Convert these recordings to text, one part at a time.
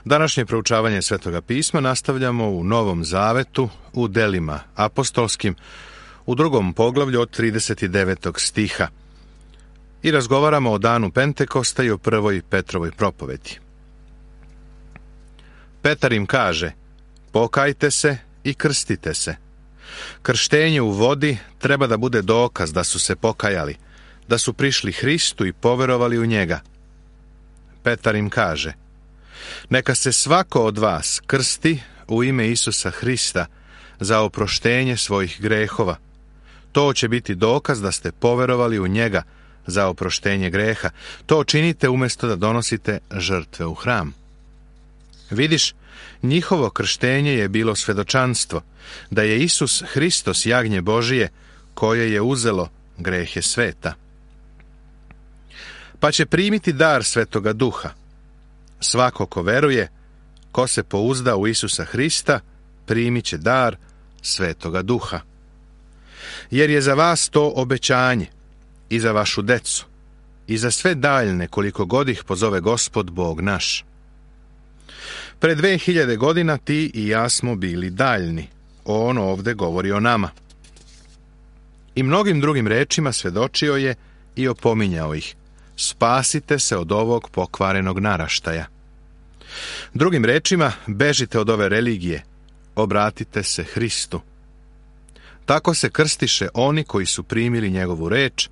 Današnje proučavanje Svetoga pisma nastavljamo u Novom Zavetu, u delima apostolskim, u 2. poglavlju od 39. stiha. I razgovaramo o danu Pentekosta i o prvoj Petrovoj propovedi. Petar im kaže: pokajte se i krstite se. Krštenje u vodi treba da bude dokaz da su se pokajali, da su prišli Hristu i poverovali u njega. Petar im kaže: neka se svako od vas krsti u ime Isusa Hrista za oproštenje svojih grehova. To će biti dokaz da ste poverovali u njega za oproštenje greha. To činite umjesto da donosite žrtve u hram. Vidiš, njihovo krštenje je bilo svedočanstvo da je Isus Hristos jagnje Božije koje je uzelo grehe sveta. Pa će primiti dar Svetoga Duha. Svako ko veruje, ko se pouzda u Isusa Hrista, primit će dar Svetoga Duha. Jer je za vas to obećanje, i za vašu decu, i za sve daljne koliko god ih pozove Gospod Bog naš. Pred 2000 godina ti i ja smo bili daljni. On ovde govori o nama. I mnogim drugim rečima svedočio je i opominjao ih: spasite se od ovog pokvarenog naraštaja. Drugim rečima, bežite od ove religije, obratite se Hristu. Tako se krstiše oni koji su primili njegovu reč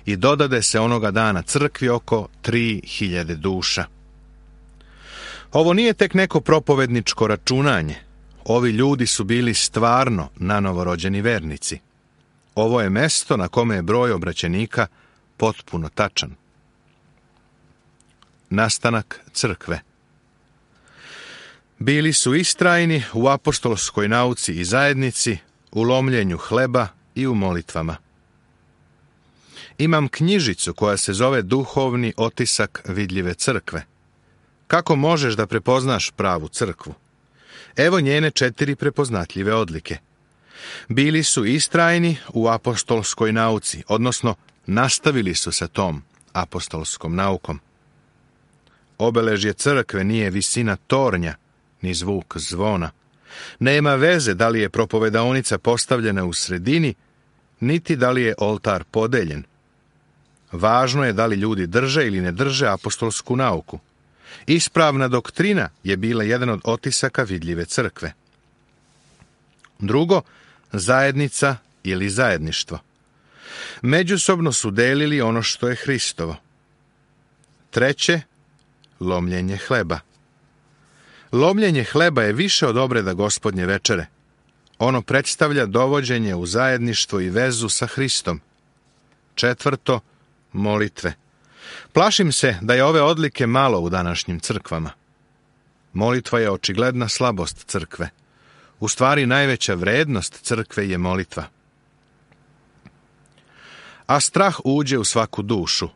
i dodade se onoga dana crkvi oko 3000 duša. Ovo nije tek neko propovedničko računanje. Ovi ljudi su bili stvarno nanovorođeni vernici. Ovo je mesto na kome je broj obraćenika potpuno tačan. Nastanak crkve. Bili su istrajni u apostolskoj nauci i zajednici, u lomljenju hleba i u molitvama. Imam knjižicu koja se zove Duhovni otisak vidljive crkve. Kako možeš da prepoznaš pravu crkvu? Evo njene 4 prepoznatljive odlike. Bili su istrajni u apostolskoj nauci, odnosno nastavili su sa tom apostolskom naukom. Obeležje crkve nije visina tornja, ni zvuk zvona. Nema veze da li je propovedaonica postavljena u sredini, niti da li je oltar podeljen. Važno je da li ljudi drže ili ne drže apostolsku nauku. Ispravna doktrina je bila jedan od otisaka vidljive crkve. Drugo, zajednica ili zajedništvo. Međusobno su delili ono što je Hristovo. Treće, lomljenje hleba. Lomljenje hleba je više od obreda Gospodnje večere. Ono predstavlja dovođenje u zajedništvo i vezu sa Hristom. Četvrto, molitve. Plašim se da je ove odlike malo u današnjim crkvama. Molitva je očigledna slabost crkve. U stvari najveća vrednost crkve je molitva. A strah uđe u svaku dušu,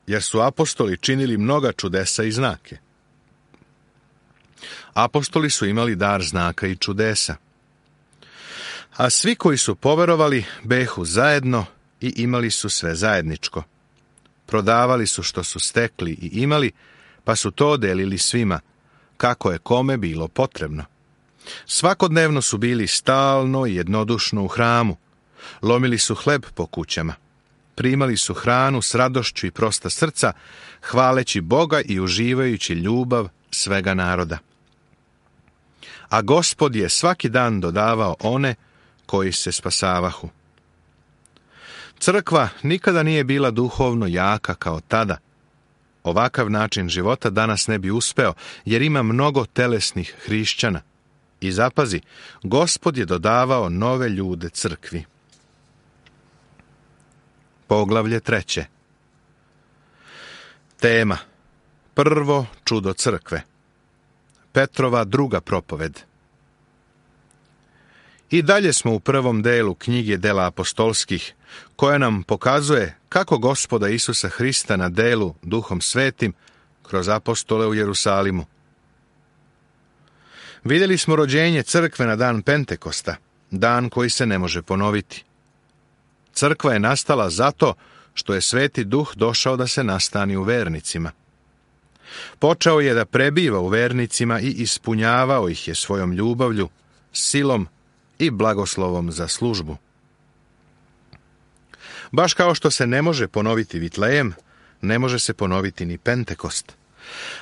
jer su apostoli činili mnoga čudesa i znake. Apostoli su imali dar znaka i čudesa. A svi koji su poverovali behu zajedno i imali su sve zajedničko. Prodavali su što su stekli i imali, pa su to delili svima, kako je kome bilo potrebno. Svakodnevno su bili stalno i jednodušno u hramu. Lomili su hleb po kućama. Primali su hranu s radošću i prosta srca, hvaleći Boga i uživajući ljubav svega naroda. A Gospod je svaki dan dodavao one koji se spasavahu. Crkva nikada nije bila duhovno jaka kao tada. Ovakav način života danas ne bi uspeo, jer ima mnogo telesnih hrišćana. I zapazi, Gospod je dodavao nove ljude crkvi. Poglavlje 3. Tema: prvo čudo crkve. Petrova druga propoved. I dalje smo u prvom delu knjige Dela apostolskih, koja nam pokazuje kako Gospoda Isusa Hrista na delu Duhom Svetim kroz apostole u Jerusalimu. Vidjeli smo rođenje crkve na dan Pentekosta, dan koji se ne može ponoviti. Crkva je nastala zato što je Sveti Duh došao da se nastani u vernicima. Počeo je da prebiva u vernicima i ispunjavao ih je svojom ljubavlju, silom i blagoslovom za službu. Baš kao što se ne može ponoviti Vitlejem, ne može se ponoviti ni Pentekost.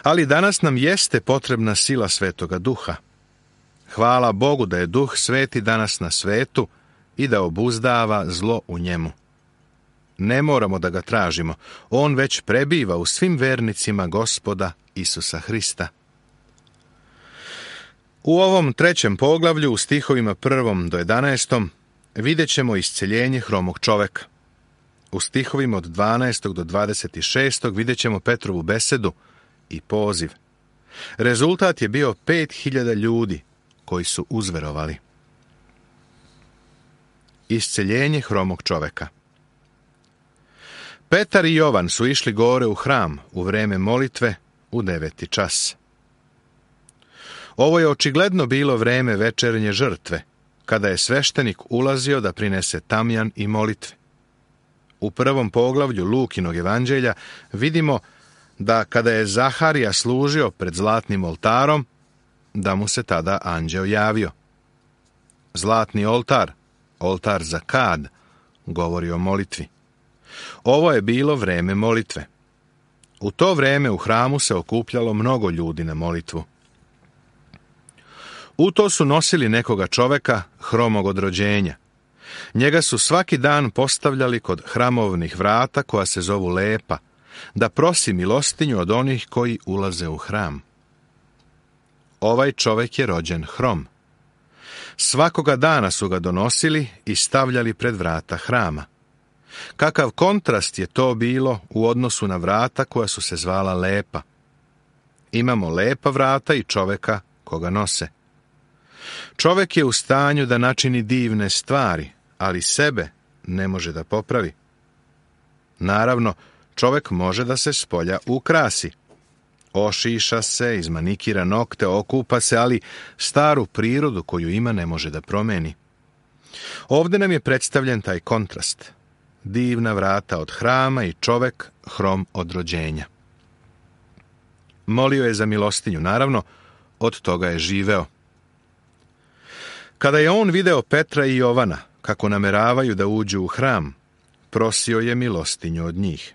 Ali danas nam jeste potrebna sila Svetoga Duha. Hvala Bogu da je Duh Sveti danas na svetu i da obuzdava zlo u njemu. Ne moramo da ga tražimo, on već prebiva u svim vernicima Gospoda Isusa Hrista. U ovom 3. poglavlju, u stihovima 1. do 11. vidjet ćemo isceljenje hromog čoveka. U stihovima od 12. do 26. vidjet ćemo Petrovu besedu i poziv. Rezultat je bio 5.000 ljudi koji su uzverovali. Isceljenje hromog čoveka. Petar i Jovan su išli gore u hram u vreme molitve u 9. čas. Ovo je očigledno bilo vreme večernje žrtve, kada je sveštenik ulazio da prinese tamjan i molitve. U 1. poglavlju Lukinog evanđelja vidimo da kada je Zaharija služio pred zlatnim oltarom, da mu se tada anđeo javio. Zlatni oltar, oltar za kad, govori o molitvi. Ovo je bilo vreme molitve. U to vreme u hramu se okupljalo mnogo ljudi na molitvu. U to su nosili nekoga čoveka hromog od rođenja. Njega su svaki dan postavljali kod hramovnih vrata koja se zovu Lepa, da prosi milostinju od onih koji ulaze u hram. Ovaj čovek je rođen hrom. Svakoga dana su ga donosili i stavljali pred vrata hrama. Kakav kontrast je to bilo u odnosu na vrata koja su se zvala Lepa. Imamo lepa vrata i čoveka koga nose. Čovek je u stanju da načini divne stvari, ali sebe ne može da popravi. Naravno, čovek može da se spolja ukrasi. Ošiša se, izmanikira nokte, okupa se, ali staru prirodu koju ima ne može da promeni. Ovde nam je predstavljen taj kontrast. Divna vrata od hrama i čovek hrom od rođenja. Molio je za milostinju, naravno, od toga je živeo. Kada je on video Petra i Jovana, kako nameravaju da uđu u hram, prosio je milostinju od njih.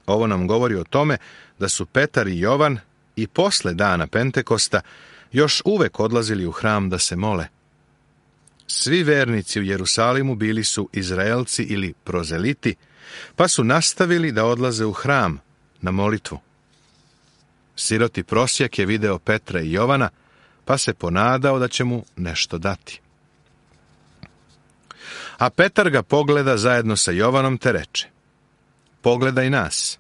Ovo nam govori o tome da su Petar i Jovan i posle dana Pentekosta još uvek odlazili u hram da se mole. Svi vernici u Jerusalimu bili su Izraelci ili prozeliti, pa su nastavili da odlaze u hram na molitvu. Siroti prosjak je video Petra i Jovana, pa se ponadao da će mu nešto dati. A Petar ga pogleda zajedno sa Jovanom te reče: pogledaj nas.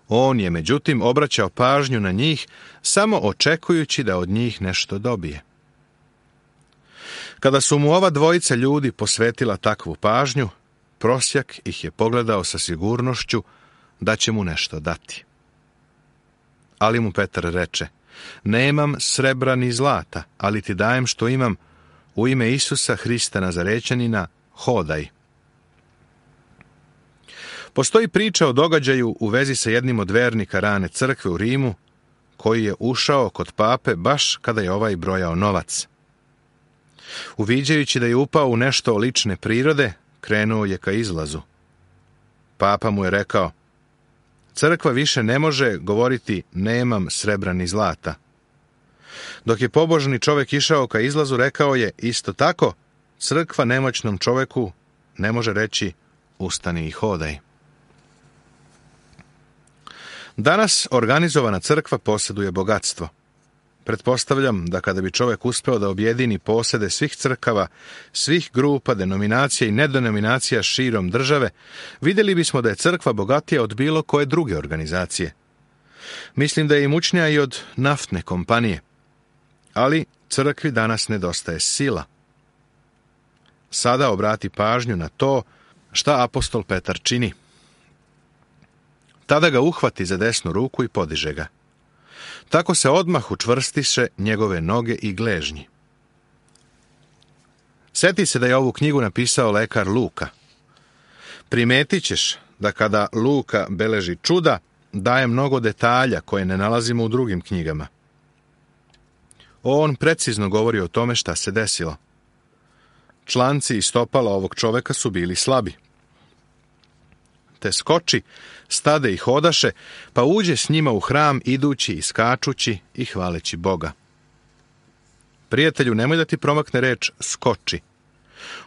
On je međutim obraćao pažnju na njih, samo očekujući da od njih nešto dobije. Kada su mu ova dvojica ljudi posvetila takvu pažnju, prosjak ih je pogledao sa sigurnošću da će mu nešto dati. Ali mu Petar reče: nemam srebra ni zlata, ali ti dajem što imam, u ime Isusa Hrista Nazarećanina, hodaj. Postoji priča o događaju u vezi sa jednim od vernika rane crkve u Rimu, koji je ušao kod pape baš kada je ovaj brojao novac. Uviđajući da je upao u nešto lične prirode, krenuo je ka izlazu. Papa mu je rekao: crkva više ne može govoriti nemam srebra ni zlata. Dok je pobožni čovjek išao ka izlazu, rekao je isto tako: crkva nemoćnom čovjeku ne može reći ustani i hodaj. Danas organizovana crkva posjeduje bogatstvo. Pretpostavljam da kada bi čovjek uspeo da objedini posede svih crkava, svih grupa, denominacija i nedenominacija širom države, vidjeli bismo da je crkva bogatija od bilo koje druge organizacije. Mislim da je imućnija i od naftne kompanije. Ali crkvi danas nedostaje sila. Sada obrati pažnju na to šta apostol Petar čini. Tada ga uhvati za desnu ruku i podiže ga. Tako se odmah učvrstiše njegove noge i gležnji. Sjeti se da je ovu knjigu napisao lekar Luka. Primetit ćeš da kada Luka beleži čuda, daje mnogo detalja koje ne nalazimo u drugim knjigama. On precizno govori o tome šta se desilo. Članci i stopala ovog čoveka su bili slabi. Te skoči, stade i hodaše, pa uđe s njima u hram idući i skačući i hvaleći Boga. Prijatelju, nemoj da ti promakne reč skoči.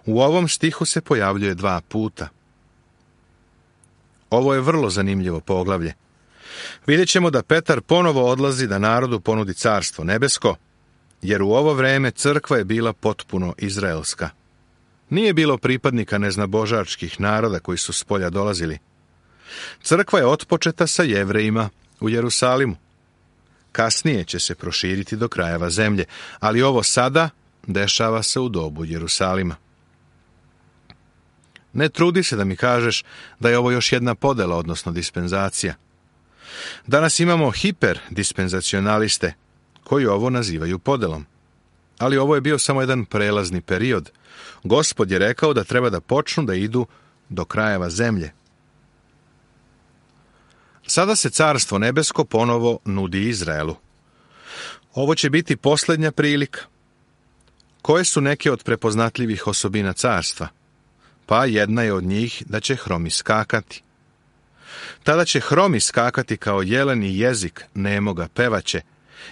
U ovom stihu se pojavljuje 2 puta. Ovo je vrlo zanimljivo poglavlje. Vidjet ćemo da Petar ponovo odlazi da narodu ponudi carstvo nebesko, jer u ovo vreme crkva je bila potpuno izraelska. Nije bilo pripadnika neznabožačkih naroda koji su s polja dolazili. Crkva je otpočeta sa Jevrejima u Jerusalimu. Kasnije će se proširiti do krajeva zemlje, ali ovo sada dešava se u dobu Jerusalima. Ne trudi se da mi kažeš da je ovo još jedna podela, odnosno dispenzacija. Danas imamo hiperdispenzacionaliste koji ovo nazivaju podelom. Ali ovo je bio samo jedan prelazni period. Gospod je rekao da treba da počnu da idu do krajeva zemlje. Sada se carstvo nebesko ponovo nudi Izraelu. Ovo će biti posljednja prilika. Koje su neke od prepoznatljivih osobina carstva? Pa jedna je od njih da će hromi skakati. Tada će hromi skakati kao jeleni jezik nemoga pevaće,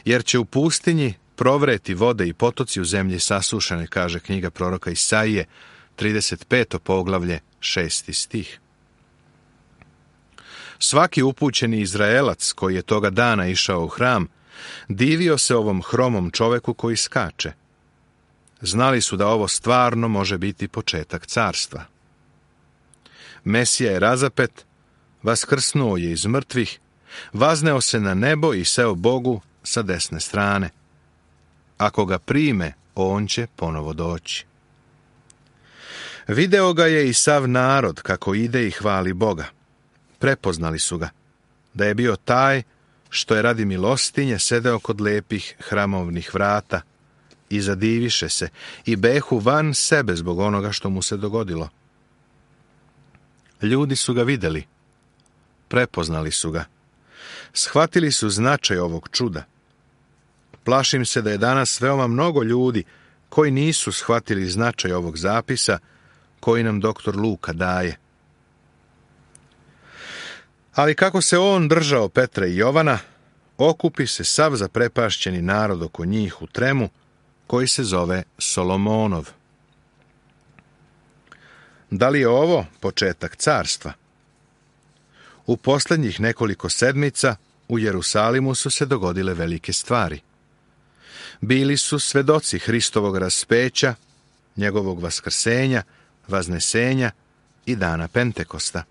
jer će u pustinji provreti vode i potoci u zemlji sasušene, kaže knjiga proroka Isaije, 35. poglavlje, 6. stih. Svaki upućeni Izraelac koji je toga dana išao u hram, divio se ovom hromom čoveku koji skače. Znali su da ovo stvarno može biti početak carstva. Mesija je razapet, vaskrsnuo je iz mrtvih, vazneo se na nebo i seo Bogu sa desne strane. Ako ga prime, on će ponovo doći. Video ga je i sav narod kako ide i hvali Boga. Prepoznali su ga, da je bio taj što je radi milostinje sedeo kod lepih hramovnih vrata i zadiviše se i behu van sebe zbog onoga što mu se dogodilo. Ljudi su ga vidjeli, prepoznali su ga, shvatili su značaj ovog čuda. Plašim se da je danas veoma mnogo ljudi koji nisu shvatili značaj ovog zapisa koji nam doktor Luka daje. Ali kako se on držao Petra i Jovana, okupi se sav zaprepašćeni narod oko njih u tremu, koji se zove Solomonov. Da li je ovo početak carstva? U posljednjih nekoliko sedmica u Jerusalimu su se dogodile velike stvari. Bili su svedoci Hristovog raspeća, njegovog vaskrsenja, vaznesenja i dana Pentekosta.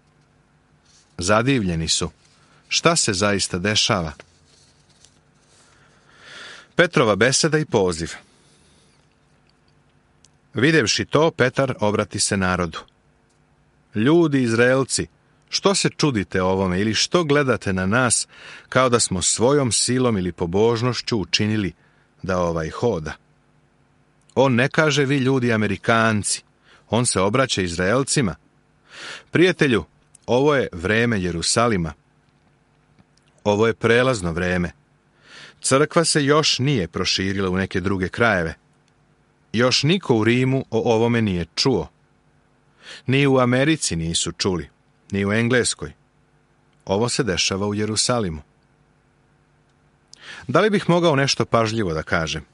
Zadivljeni su. Šta se zaista dešava? Petrova beseda i poziv. Videvši to, Petar obrati se narodu. Ljudi Izraelci, što se čudite ovome ili što gledate na nas kao da smo svojom silom ili pobožnošću učinili da ovaj hoda? On ne kaže vi ljudi Amerikanci, on se obraća Izraelcima. Prijatelju, ovo je vreme Jerusalima. Ovo je prelazno vreme. Crkva se još nije proširila u neke druge krajeve. Još niko u Rimu o ovome nije čuo. Ni u Americi nisu čuli, ni u Engleskoj. Ovo se dešava u Jerusalimu. Da li bih mogao nešto pažljivo da kažem?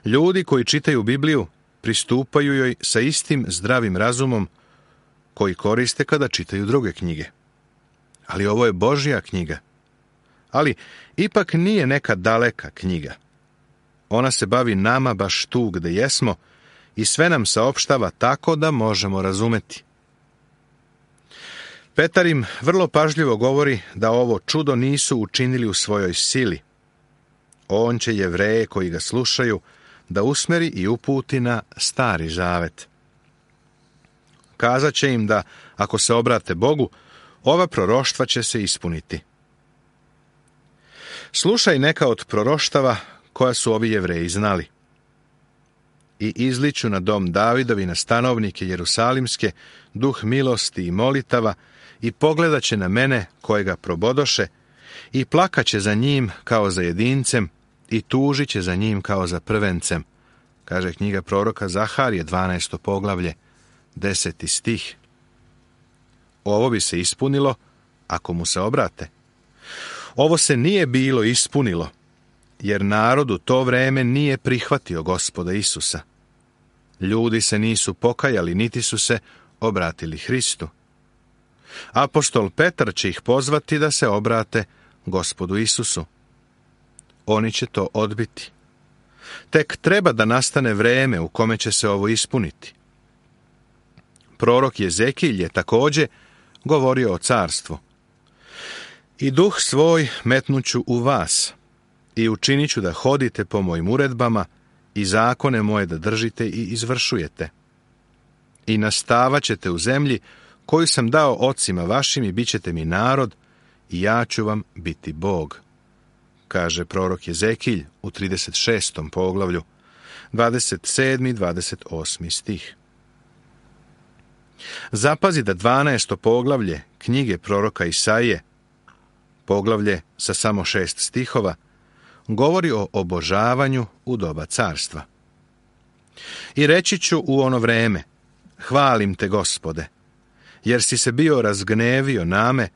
Ljudi koji čitaju Bibliju pristupaju joj sa istim zdravim razumom koji koriste kada čitaju druge knjige. Ali ovo je Božja knjiga. Ali ipak nije neka daleka knjiga. Ona se bavi nama baš tu gde jesmo i sve nam saopštava tako da možemo razumeti. Petar im vrlo pažljivo govori da ovo čudo nisu učinili u svojoj sili. On će Jevreje koji ga slušaju da usmeri i uputi na Stari zavet. Kazat će im da, ako se obrate Bogu, ova proroštva će se ispuniti. Slušaj neka od proroštava koja su ovi Jevreji znali. i izliću na dom Davidovi, na stanovnike Jerusalimske, duh milosti i molitava, i pogledat će na mene kojega probodoše, i plakaće za njim kao za jedincem, i tužit će za njim kao za prvencem. Kaže knjiga proroka Zaharije, 12. poglavlje, 10. stih. Ovo bi se ispunilo ako mu se obrate. Ovo se nije bilo ispunilo, jer narod u to vreme nije prihvatio Gospoda Isusa. Ljudi se nisu pokajali, niti su se obratili Hristu. Apostol Petar će ih pozvati da se obrate Gospodu Isusu. Oni će to odbiti. Tek treba da nastane vreme u kome će se ovo ispuniti. Prorok Jezekilj je također govorio o carstvu. I duh svoj metnuću u vas, i učinit ću da hodite po mojim uredbama, i zakone moje da držite i izvršujete. I nastavat ćete u zemlji koju sam dao ocima vašim, i bit ćete mi narod, i ja ću vam biti Bog. Kaže prorok Jezekilj u 36. poglavlju, 27. i 28. stih. Zapazi da 12. poglavlje knjige proroka Isaije, poglavlje sa samo 6 stihova, govori o obožavanju u doba carstva. I reći ću u ono vreme: hvalim te, Gospode, jer si se bio razgnevio na me,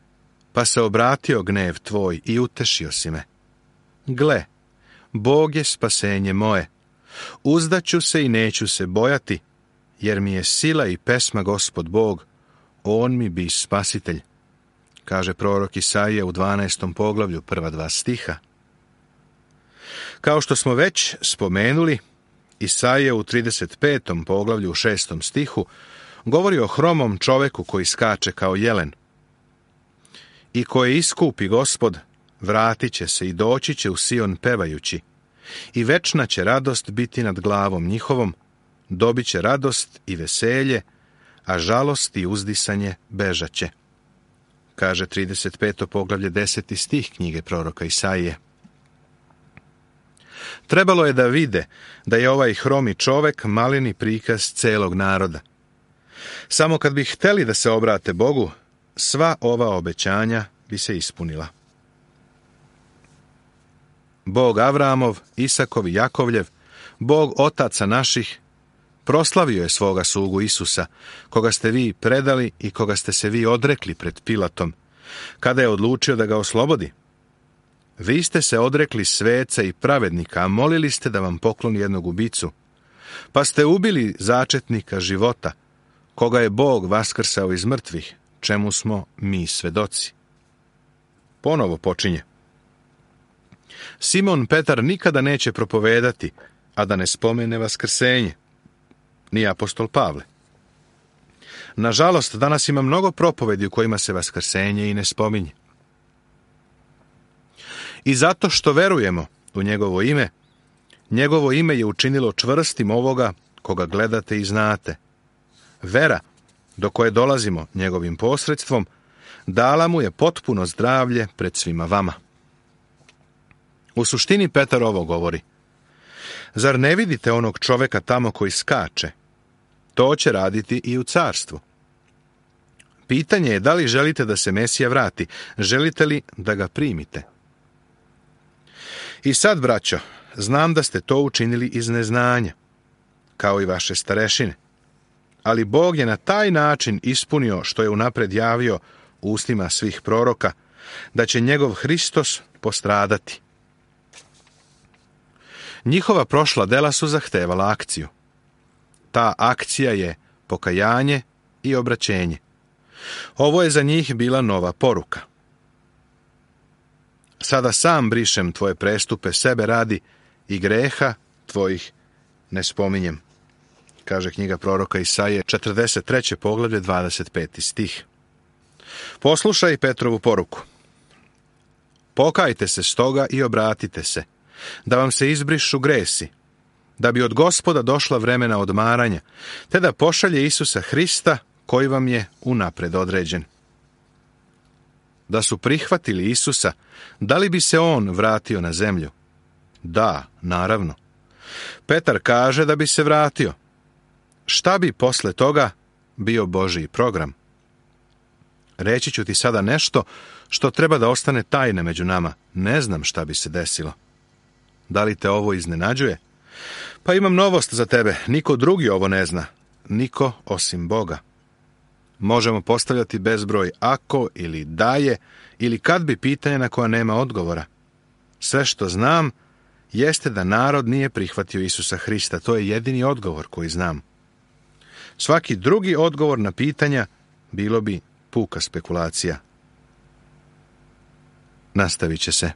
pa se obratio gnev tvoj i utešio si me. Gle, Bog je spasenje moje, uzdaću se i neću se bojati, jer mi je sila i pesma Gospod Bog, on mi bi spasitelj. Kaže prorok Isaija u 12. poglavlju, prva 2 stiha. Kao što smo već spomenuli, Isaija u 35. poglavlju u 6. stihu govori o hromom čoveku koji skače kao jelen. I koje iskupi Gospod, vratit će se i doći će u Sion pevajući, i večna će radost biti nad glavom njihovom, dobit će radost i veselje, a žalost i uzdisanje bežaće. Kaže 35. poglavlje 10. stih knjige proroka Isaije. Trebalo je da vide da je ovaj hromi čovek maleni prikaz celog naroda. Samo kad bi hteli da se obrate Bogu, sva ova obećanja bi se ispunila. Bog Avramov, Isakov i Jakovljev, Bog otaca naših, proslavio je svoga slugu Isusa, koga ste vi predali i koga ste se vi odrekli pred Pilatom, kada je odlučio da ga oslobodi. Vi ste se odrekli sveca i pravednika, a molili ste da vam pokloni jednog ubicu, pa ste ubili začetnika života, koga je Bog vaskrsao iz mrtvih, čemu smo mi svedoci. Ponovo počinje. Simon Petar nikada neće propovedati, a da ne spomene vaskrsenje, ni apostol Pavle. Nažalost, danas ima mnogo propovedi u kojima se vaskrsenje i ne spominje. I zato što verujemo u njegovo ime je učinilo čvrstim ovoga koga gledate i znate. Vera, do koje dolazimo njegovim posredstvom, dala mu je potpuno zdravlje pred svima vama. U suštini Petar ovo govori. Zar ne vidite onog čoveka tamo koji skače? To će raditi i u carstvu. Pitanje je da li želite da se Mesija vrati, želite li da ga primite? I sad, braćo, znam da ste to učinili iz neznanja, kao i vaše starešine. Ali Bog je na taj način ispunio što je unapred javio ustima svih proroka, da će njegov Hristos postradati. Njihova prošla dela su zahtevala akciju. Ta akcija je pokajanje i obraćenje. Ovo je za njih bila nova poruka. Sada sam brišem tvoje prestupe sebe radi i greha tvojih ne spominjem, kaže knjiga proroka Isaije, 43. poglavlje, 25. stih. Poslušaj Petrovu poruku. Pokajte se stoga i obratite se, da vam se izbrišu gresi, da bi od Gospoda došla vremena odmaranja, te da pošalje Isusa Hrista, koji vam je unapred određen. Da su prihvatili Isusa, da li bi se on vratio na zemlju? Da, naravno. Petar kaže da bi se vratio. Šta bi posle toga bio Božji program? Reći ću ti sada nešto što treba da ostane tajne među nama. Ne znam šta bi se desilo. Da li te ovo iznenađuje? Pa imam novost za tebe. Niko drugi ovo ne zna. Niko osim Boga. Možemo postavljati bezbroj ako ili da je ili kad bi pitanja na koja nema odgovora. Sve što znam jeste da narod nije prihvatio Isusa Hrista. To je jedini odgovor koji znam. Svaki drugi odgovor na pitanja bilo bi puka spekulacija. Nastavit će se.